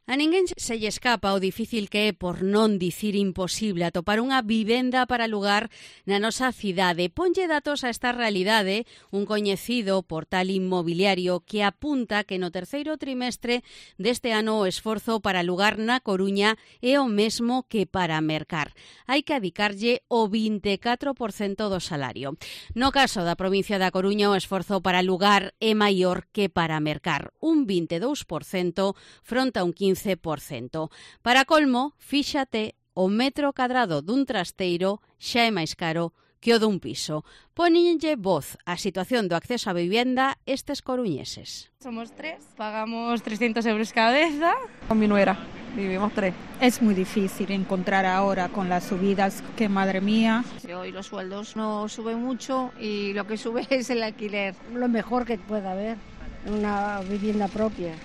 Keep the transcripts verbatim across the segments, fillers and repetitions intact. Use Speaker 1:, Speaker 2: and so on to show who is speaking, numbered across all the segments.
Speaker 1: A ninguén se lle escapa o difícil que é, por non dicir imposible, atopar unha vivenda para alugar na nosa cidade. Ponlle datos a esta realidade un coñecido portal inmobiliario que apunta que no terceiro trimestre deste ano o esforzo para alugar na Coruña é o mesmo que para mercar. Hai que adicarlle o vinte e catro por cento do salario. No caso da provincia da Coruña, o esforzo para alugar é maior que para mercar, un vinte e dous por cento fronte a un quince por cento. Para colmo, fíxate, o metro cadrado dun trasteiro xa é máis caro que o dun piso. Póñenlle voz á situación do acceso á vivenda estes coruñeses.
Speaker 2: Somos tres, pagamos trescientos euros cabeza.
Speaker 3: Con mi nuera, vivimos tres.
Speaker 4: Es muy difícil encontrar ahora con las subidas, que madre mía.
Speaker 5: Hoy los sueldos no suben mucho y lo que sube es el alquiler.
Speaker 6: Lo mejor que pueda haber, una vivienda propia.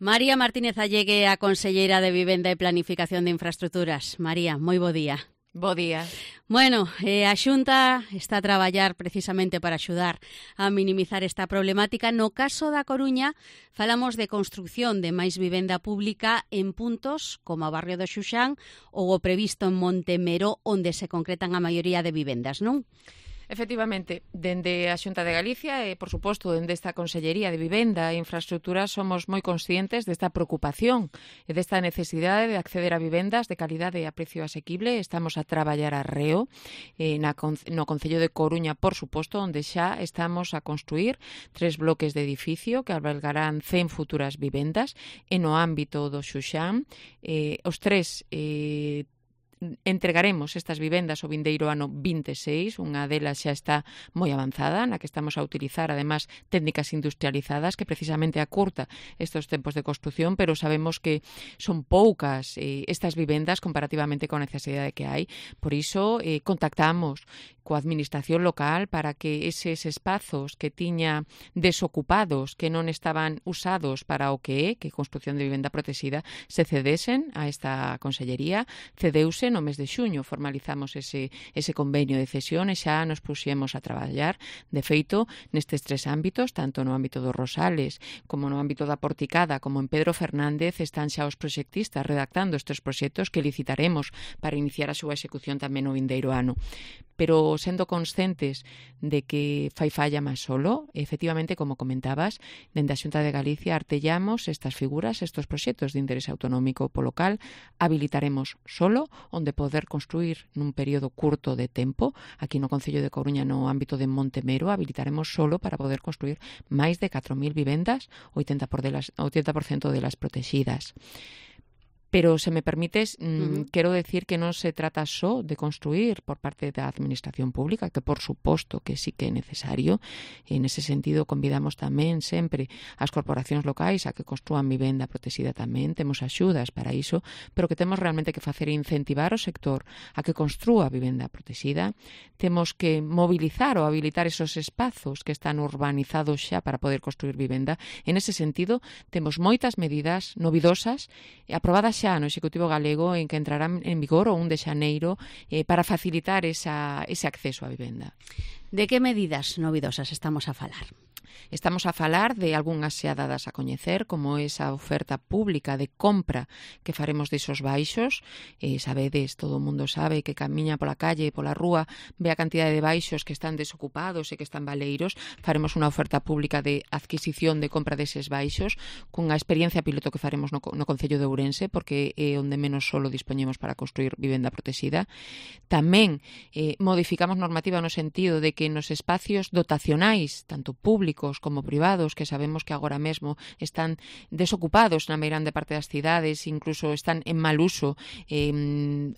Speaker 1: María Martínez Allegue, a conselleira de Vivenda e Planificación de Infraestructuras. María, moi bo día.
Speaker 7: Bo día.
Speaker 1: Bueno, eh, a Xunta está a traballar precisamente para axudar a minimizar esta problemática. No caso da Coruña, falamos de construción de máis vivenda pública en puntos como o barrio do Xuxán ou o previsto en Montemero, onde se concretan a maioría de vivendas, non?
Speaker 7: Efectivamente, dende a Xunta de Galicia e, por suposto, dende esta Consellería de Vivenda e Infraestructura somos moi conscientes desta preocupación e desta necesidade de acceder a vivendas de calidade e a precio asequible. Estamos a traballar arreo eh, na, no Concello de Coruña, por suposto, onde xa estamos a construir tres bloques de edificio que albergarán cen futuras vivendas e no ámbito do Xuxán. Eh, os tres eh, entregaremos estas vivendas o vindeiro ano vinte e seis, unha delas xa está moi avanzada, na que estamos a utilizar, además, técnicas industrializadas que precisamente acurta estes tempos de construción, pero sabemos que son poucas eh, estas vivendas comparativamente con a necesidade que hai. Por iso, eh, contactamos coa administración local para que eses espazos que tiña desocupados, que non estaban usados para o que é, que é construción de vivenda protexida, se cedesen a esta consellería. Cedeuse no mes de xuño, formalizamos ese, ese convenio de cesión e xa nos puxemos a traballar. De feito, nestes tres ámbitos, tanto no ámbito dos Rosales como no ámbito da Porticada, como en Pedro Fernández, están xa os proxectistas redactando estes proxectos que licitaremos para iniciar a súa execución tamén no vindeiro ano. Pero sendo conscientes de que fai falla máis solo, efectivamente, como comentabas, dende a Xunta de Galicia artellamos estas figuras, estes proxectos de interés autonómico polo local, habilitaremos solo onde poder construir nun período curto de tempo. Aquí no Concello de Coruña, no ámbito de Montemero, habilitaremos solo para poder construir máis de catro mil vivendas, oitenta por cento delas protegidas. Pero, se me permites, mmm, uh-huh. quero decir que non se trata só de construir por parte da Administración Pública, que por suposto que sí que é necesario. E nese sentido convidamos tamén sempre as corporacións locais a que construan vivenda protexida tamén. Temos axudas para iso, pero que temos realmente que facer incentivar o sector a que construa vivenda protexida. Temos que mobilizar ou habilitar esos espazos que están urbanizados xa para poder construir vivenda. En ese sentido, temos moitas medidas novidosas aprobadas xa no Executivo Galego en que entrarán en vigor o un de xaneiro eh, para facilitar esa, ese acceso á vivenda.
Speaker 1: De que medidas novidosas estamos a falar?
Speaker 7: Estamos a falar de algunhas xa dadas a coñecer, como esa oferta pública de compra que faremos desos baixos. Eh, sabedes, todo o mundo sabe que camiña pola calle, pola rúa, ve a cantidade de baixos que están desocupados e que están baleiros. Faremos unha oferta pública de adquisición de compra deses baixos, cunha experiencia piloto que faremos no, no Concello de Ourense, porque é onde menos solo dispoñemos para construir vivenda protexida. Tamén eh, modificamos normativa no sentido de que nos espacios dotacionais, tanto públicos como privados, que sabemos que agora mesmo están desocupados na meirande parte das cidades, incluso están en mal uso, eh,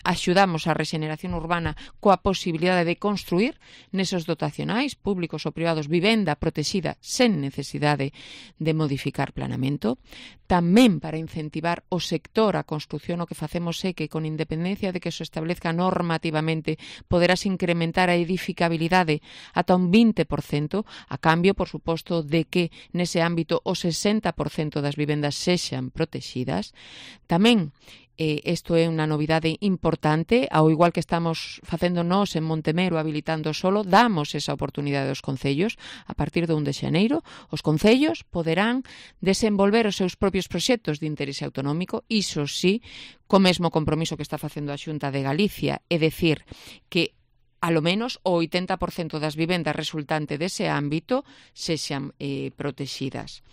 Speaker 7: axudamos a rexeneración urbana coa posibilidade de construir nesos dotacionais públicos ou privados vivenda protexida sen necesidade de modificar planeamento. Tamén para incentivar o sector a construción, o que facemos é que, con independencia de que se establezca normativamente, poderás incrementar a edificabilidade ata un vinte por cento, a cambio, por suposto, suposto de que nese ámbito o sesenta por cento das vivendas sexan protegidas. Tamén Eh, isto é unha novidade importante, ao igual que estamos facendo nós en Montemero habilitando solo, damos esa oportunidade aos concellos. A partir do un de xaneiro, os concellos poderán desenvolver os seus propios proxectos de interese autonómico, iso sí, co mesmo compromiso que está facendo a Xunta de Galicia, é dicir, que alo menos o oitenta por cento das vivendas resultante dese ámbito sexan eh, protegidas.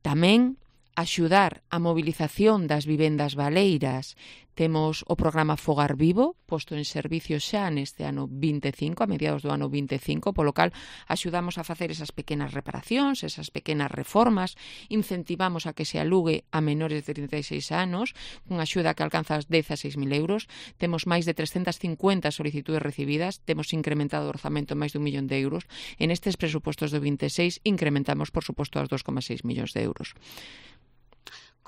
Speaker 7: Tamén axudar a mobilización das vivendas baleiras. Temos o programa Fogar Vivo, posto en servicio xa neste ano vinte e cinco, a mediados do ano vinte e cinco, polo cal axudamos a facer esas pequenas reparacións, esas pequenas reformas, incentivamos a que se alugue a menores de trinta e seis anos, unha axuda que alcanza as dez a seis mil euros. Temos máis de trescentas cincuenta solicitudes recibidas, temos incrementado o orzamento en máis dun millón de euros. En estes presupostos do vinte e seis incrementamos, por suposto, aos dos coma seis millóns de euros.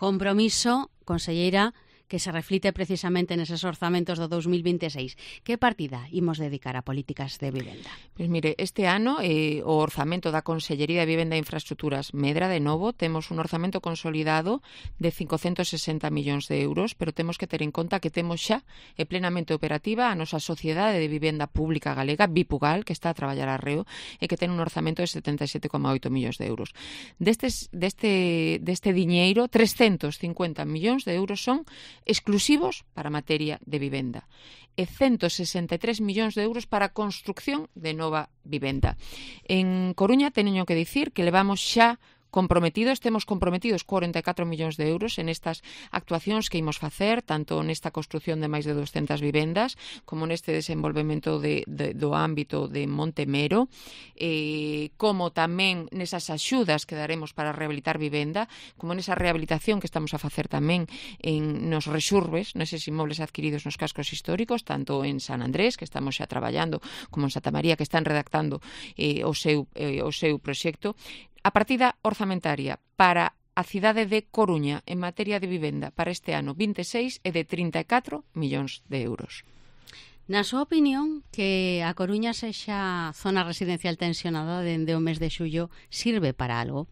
Speaker 1: Compromiso, conselleira, que se reflite precisamente neses orzamentos do dous mil vinte e seis. Que partida imos dedicar a políticas de vivenda?
Speaker 7: Pois mire, este ano eh, o orzamento da Consellería de Vivenda e Infraestructuras medra de novo, temos un orzamento consolidado de cincocentos sesenta millóns de euros, pero temos que ter en conta que temos xa e plenamente operativa a nosa Sociedade de Vivenda Pública Galega, Vipugal, que está a traballar arreo e que ten un orzamento de setenta e sete coma oito millóns de euros. Destes, deste, deste diñeiro, trescentos cincuenta millóns de euros son exclusivos para materia de vivenda e ciento sesenta e tres millóns de euros para a construcción de nova vivenda. En Coruña teño que dicir que levamos xa comprometidos, temos comprometidos cuarenta e catro millóns de euros en estas actuacións que imos facer, tanto nesta construción de máis de doscientas vivendas, como neste desenvolvemento de, de, do ámbito de Montemero, eh, como tamén nesas axudas que daremos para rehabilitar vivenda, como nesa rehabilitación que estamos a facer tamén en nos rexurbes, neses inmobles adquiridos nos cascos históricos, tanto en San Andrés, que estamos xa traballando, como en Santa María, que están redactando eh, o seu, eh, o seu proxecto. A partida orzamentaria para a cidade de Coruña en materia de vivenda para este ano vinte e seis é de trinta e catro millóns de euros.
Speaker 1: Na súa opinión, que a Coruña sexa zona residencial tensionada dende o mes de xullo sirve para algo?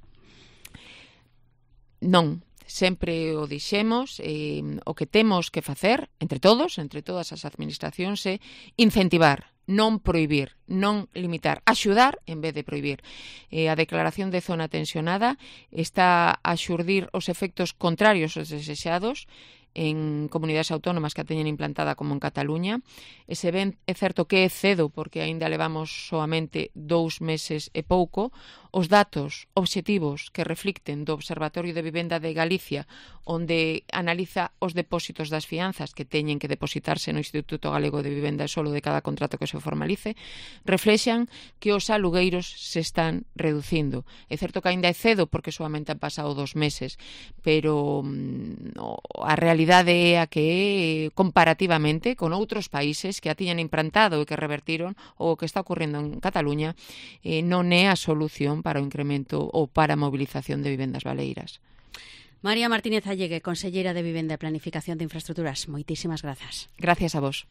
Speaker 7: Non. Sempre o dixemos, eh, o que temos que facer, entre todos, entre todas as administracións, é incentivar, non prohibir, non limitar, axudar en vez de prohibir. Eh, a declaración de zona tensionada está a xurdir os efectos contrarios aos desexados en comunidades autónomas que a teñen implantada como en Cataluña. E se ven, é certo que é cedo, porque aínda levamos soamente dous meses e pouco, os datos obxectivos que reflicten do Observatorio de Vivenda de Galicia, onde analiza os depósitos das fianzas que teñen que depositarse no Instituto Galego de Vivenda e solo de cada contrato que se formalice, reflexan que os alugueiros se están reducindo. É certo que aínda é cedo, porque solamente han pasado dos meses, pero mm, a realidade é a que comparativamente con outros países que a tiñan implantado e que revertiron o que está ocurrendo en Cataluña, eh, non é a solución para o incremento ou para a movilización de vivendas baleiras.
Speaker 1: María Martínez Allegue, conselleira de Vivenda e Planificación de Infraestructuras, moitísimas grazas.
Speaker 7: Gracias a vos.